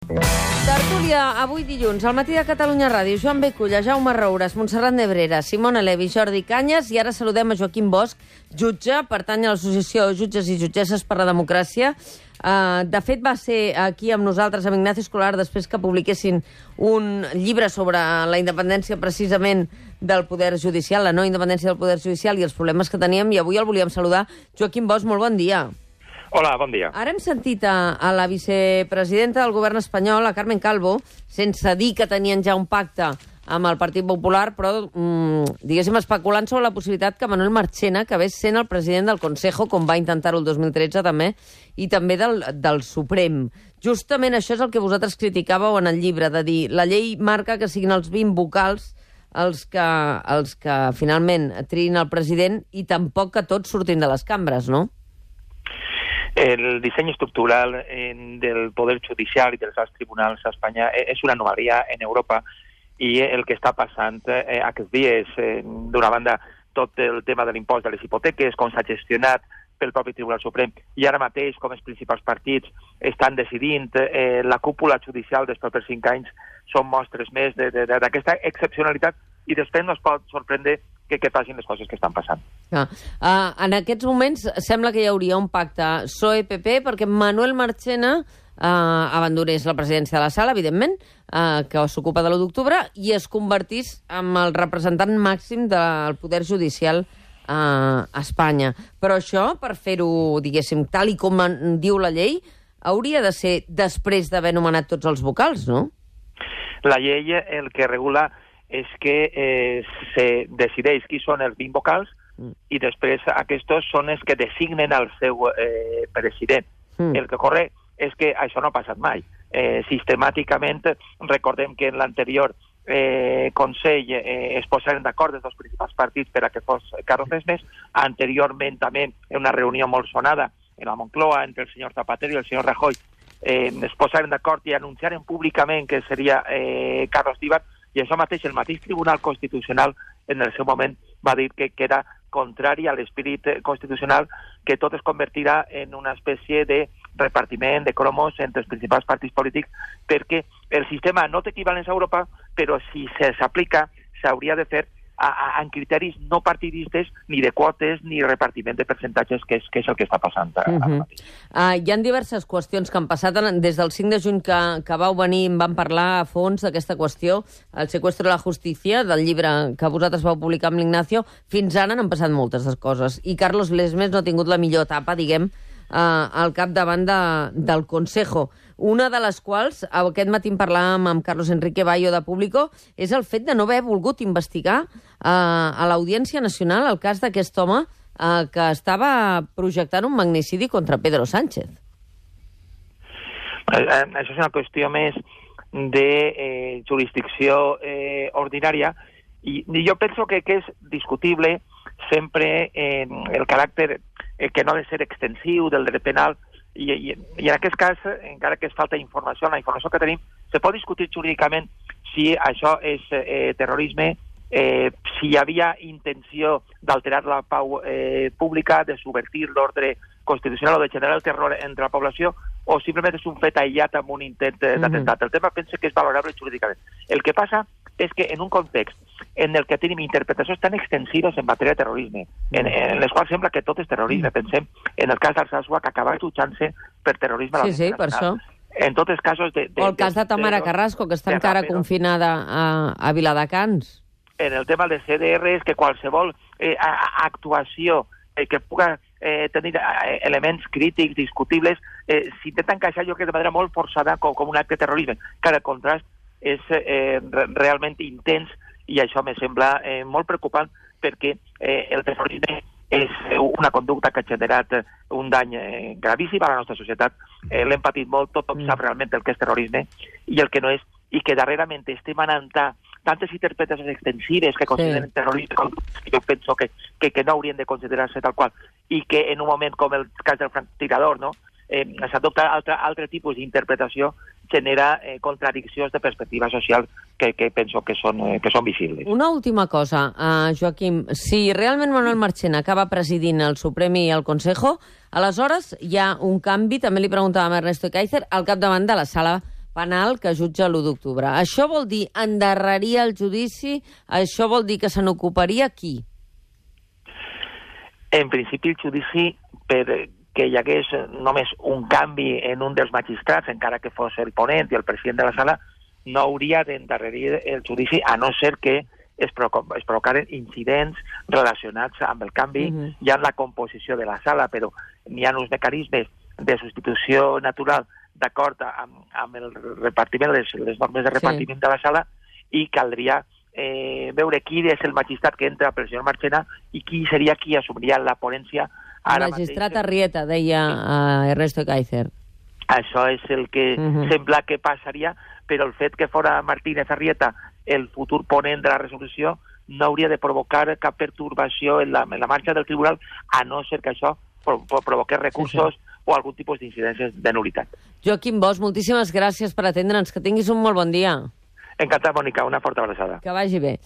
Tertúlia, avui dilluns, al matí de Catalunya Ràdio. Joan Beculla, Jaume Roures, Montserrat Nebrera, Simona Levi, Jordi Canyes, i ara saludem a Joaquim Bosch, jutge, pertany a l'Associació de Jutges i Jutgesses per la Democràcia. De fet, va ser aquí amb nosaltres, amb Ignacio Escolar, després que publiquessin un llibre sobre la independència precisament del poder judicial, la no independència del poder judicial i els problemes que teníem, i avui el volíem saludar. Joaquim Bosch, molt bon dia. Hola, bon dia. Ara hem sentit a la vicepresidenta del govern espanyol, a Carmen Calvo, sense dir que tenien ja un pacte amb el Partit Popular, però, diguéssim, especulant sobre la possibilitat que Manuel Marchena acabés sent el president del Consejo, com va intentar-ho el 2013 també, i també del Suprem. Justament això és el que vosaltres criticàveu en el llibre, de dir, la llei marca que siguin els 20 vocals els que finalment triïn el president i tampoc que tots surtin de les cambres, no? El disseny estructural del poder judicial i dels alts tribunals a Espanya és una anomalia en Europa, i el que està passant aquests dies, d'una banda, tot el tema de l'impost de les hipoteques, com s'ha gestionat pel propi Tribunal Suprem, i ara mateix com els principals partits estan decidint la cúpula judicial dels propers 5 anys, són mostres més d'aquesta excepcionalitat, i després no es pot sorprendre que passin les coses que estan passant. En aquests moments sembla que hi hauria un pacte PSOE-PP perquè Manuel Marchena abandonés la presidència de la sala, evidentment, que s'ocupa de l'1 d'octubre, i es convertís en el representant màxim del poder judicial a Espanya. Però això, per fer-ho, diguéssim, tal i com diu la llei, hauria de ser després d'haver nomenat tots els vocals, no? La llei el que regula és que se decideix qui són els 20 vocals i després aquests són els que designen el seu president. El que ocorre és que això no ha passat mai. Sistemàticament, recordem que en l'anterior Consell es posaren d'acord els dos principals partits per a que fos Carlos Desmes. Anteriorment també, en una reunió molt sonada en la Moncloa entre el senyor Zapatero i el senyor Rajoy, es posaren d'acord i anunciaren públicament que seria Carlos Díbar, i això mateix el mateix Tribunal Constitucional en el seu moment va dir que era contrari a l'espírit constitucional, que tot es convertirà en una espècie de repartiment de cromos entre els principals partits polítics, perquè el sistema no té equivalents a Europa, però si s'aplica s'hauria de fer en criteris no partidistes, ni de quotes, ni repartiment de percentatges, que és el que està passant ara mateix. Hi ha diverses qüestions que han passat. Des del 5 de juny que vau venir em van parlar a fons d'aquesta qüestió, el secuestro de la justícia, del llibre que vosaltres vau publicar amb l'Ignacio. Fins ara n'han passat moltes coses. I Carlos Desmes no ha tingut la millor etapa, diguem, al capdavant del Consejo. Una de les quals, aquest matí parlàvem amb Carlos Enrique Bayo de Público, és el fet de no haver volgut investigar a l'Audiència Nacional el cas d'aquest home que estava projectant un magnicidi contra Pedro Sánchez. Això és una qüestió més de jurisdicció ordinària, i jo penso que és discutible sempre el caràcter que no ha de ser extensiu del dret penal, i en aquest cas, encara que es falta informació, la informació que tenim, se pot discutir jurídicament si això és terrorisme, si hi havia intenció d'alterar la pau pública, de subvertir l'ordre constitucional o de generar el terror entre la població, o simplement és un fet aïllat amb un intent d'atemptat. El tema penso que és valorable jurídicament. El que passa és que en un context en el que tenim interpretacions tan extensives en matèria de terrorisme, en les quals sembla que tot és terrorisme, pensem en el cas d'Alsasua, que acaba jutjant-se per terrorisme a l'Audiència Nacional. Sí, per això. En tots els casos o el cas de Tamara Carrasco, que està encara confinada a Viladecans. En el tema de CDR és que qualsevol actuació que puga tenir elements crítics, discutibles, s'intenta encaixar, jo crec, de manera molt forçada com un acte de terrorisme. Cada contrast és realment intens, i això me sembla molt preocupant, perquè el terrorisme és una conducta que ha generat un dany gravíssim a la nostra societat. L'hem patit molt, tothom sap realment el que és terrorisme i el que no és, i que darrerament estem anant tantes interpretacions extensives que consideren terrorisme, que jo penso que no haurien de considerar-se tal qual, i que en un moment com el cas del franctirador, no, s'adopta altre tipus d'interpretació, genera contradiccions de perspectiva social que penso que són visibles. Una última cosa, Joaquim. Si realment Manuel Marchena acaba presidint el Suprem i el Consejo, aleshores hi ha un canvi, també li preguntàvem a Ernesto Kaiser, al capdavant de la sala penal que jutja l'1 d'octubre. Això vol dir endarrerir el judici? Això vol dir que se n'ocuparia qui? En principi, el judici, perquè hi hagués només un canvi en un dels magistrats, encara que fos el ponent i el president de la sala, no hauria d'endarrerir el judici, a no ser que es provocaren incidents relacionats amb el canvi ja en la composició de la sala, però n'hi ha uns mecanismes de substitució natural d'acord amb el repartiment, les normes de repartiment de la sala, i caldria veure qui és el magistrat que entra pel senyor Marchena i qui seria qui assumiria la ponència ara mateix. El magistrat Arrieta, deia Ernesto Kaiser. Això és el que sembla que passaria, però el fet que fora Martínez Arrieta el futur ponent de la resolució no hauria de provocar cap pertorbació en la marxa del tribunal, a no ser que això provoqués recursos o algun tipus d'incidències de nul·litat. Joaquim Bosch, moltíssimes gràcies per atendre'ns. Que tinguis un molt bon dia. Encantat, Mònica. Una forta abraçada. Que vagi bé.